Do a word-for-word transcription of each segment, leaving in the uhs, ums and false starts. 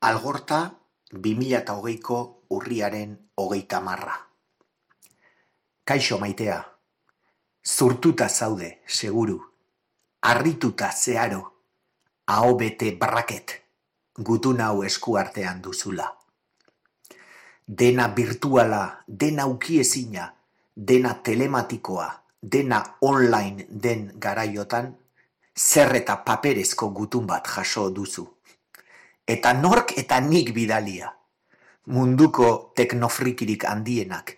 Algorta bi mila hogeiko urriaren hogeita hamarra. Kaixo maitea, zurtuta zaude, seguru, harrituta zeharo, aho bete braket, gutun hau eskuartean duzula. Dena virtuala, dena ukiezina, dena telematikoa, dena online den garaiotan, zer eta paperezko gutun bat jaso duzu. Eta nork eta nik bidalia. Munduko teknofrikirik handienak,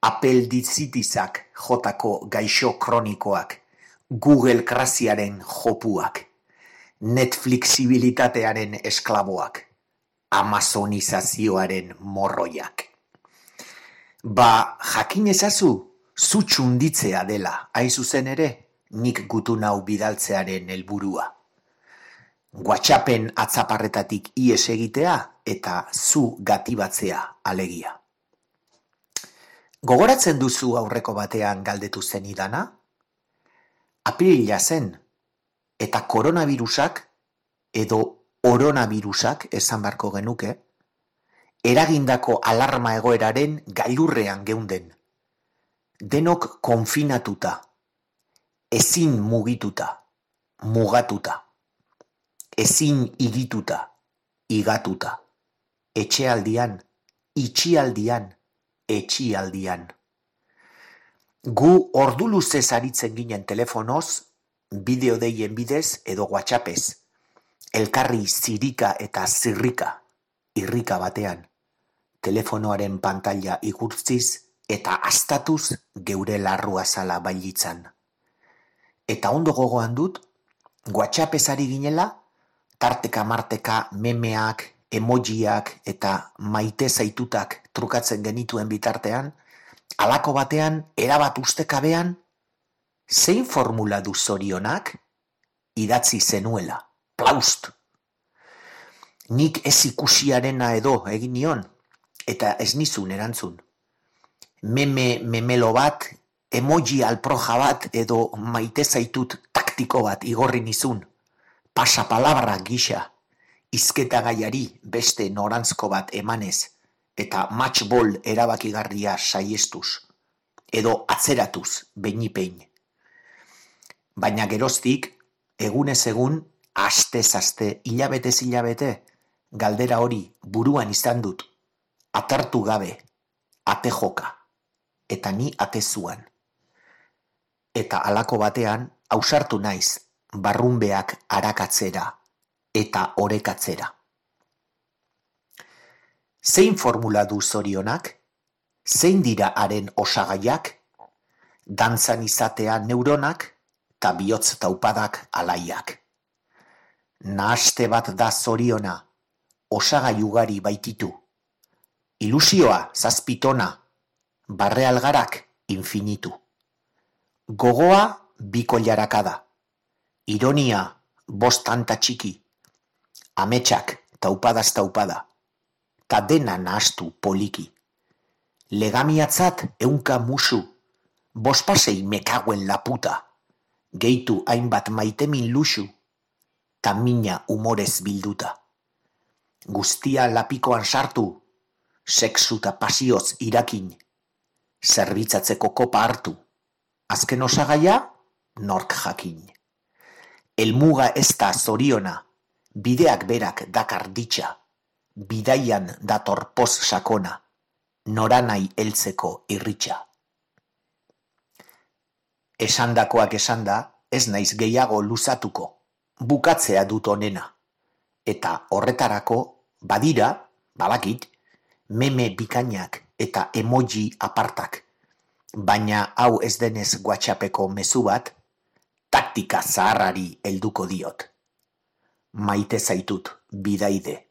apeldizitizak jotako gaixo kronikoak, Google krasiaren jopuak, Netflixibilitatearen esklaboak, Amazonizazioaren morroiak. Ba, jakin ezazu, zu txunditzea dela, hain zuzen ere, nik gutun hau bidaltzearen helburua. WhatsAppen atzaparretatik ihes egitea eta zu gatibatzea alegia. Gogoratzen duzu aurreko batean galdetu zenidana? Apirila zen, eta koronavirusak edo oronavirusak esan barko genuke, eragindako alarma egoeraren gailurrean geunden. Denok konfinatuta, ezin mugituta, mugatuta. Ezin igituta, igatuta, etxealdian, itxialdian, etxialdian. Gu ordu luzez aritzen ginen telefonoz, bideo deien bidez edo WhatsAppez, elkarri zirika eta zirrika, irrika batean, telefonoaren pantalla igurtziz eta astatuz geure larrua zala bailitzan. Eta ondo gogoan dut, WhatsAppez ari ginela, tarteka marteka memeak, emojiak eta maite zaitutak trukatzen genituen bitartean, halako batean, erabat ustekabean, zein formula du zorionak? Idatzi zenuela, plaust. Nik ez ikusiarena edo egin nion, eta ez nizun erantzun. Meme memelo bat, emoji alproja bat edo maite zaitut taktiko bat igorri nizun. Pasapalabra gisa, izketa gaiari beste norantzko bat emanez, eta matchball erabakigarria saiestuz, edo atzeratuz beinipein. Baina geroztik, egunez egun, astez aste, hilabetez hilabete, galdera hori buruan izan dut, atartu gabe, ate joka, eta ni atezuan. Eta halako batean, ausartu naiz, barrunbeak arakatzera eta orekatzera. Zein formula du zorionak? Zein dira haren osagaiak? Dantzan izatea neuronak eta bihotz taupadak alaiak. Nahaste bat da zoriona, osagai ugari baititu. Ilusioa zazpitona, barrealgarak infinitu. Gogoa biko jarakada. Ironia, bost tanta txiki, ametsak taupadaz taupada, ta dena nahastu poliki. Legamiatzat eunka musu, bospasei mekaguen laputa, gehitu hainbat maitemin luxu, ta mina umorez bilduta. Guztia lapikoan sartu, sexu ta pasioz irakin, zerbitzatzeko kopa hartu, azken osagaia, nork jakin. Elmuga ez da zoriona, bideak berak dakar ditxa, bidaian dator poz sakona, noranai heltzeko irritxa. Esandakoak esanda, ez naiz gehiago luzatuko, bukatzea dut onena, eta horretarako, badira, badakit, meme bikainak eta emoji apartak, baina hau ez denez WhatsAppeko mezu bat, taktika zaharrari helduko diot. Maite zaitut, bidaide.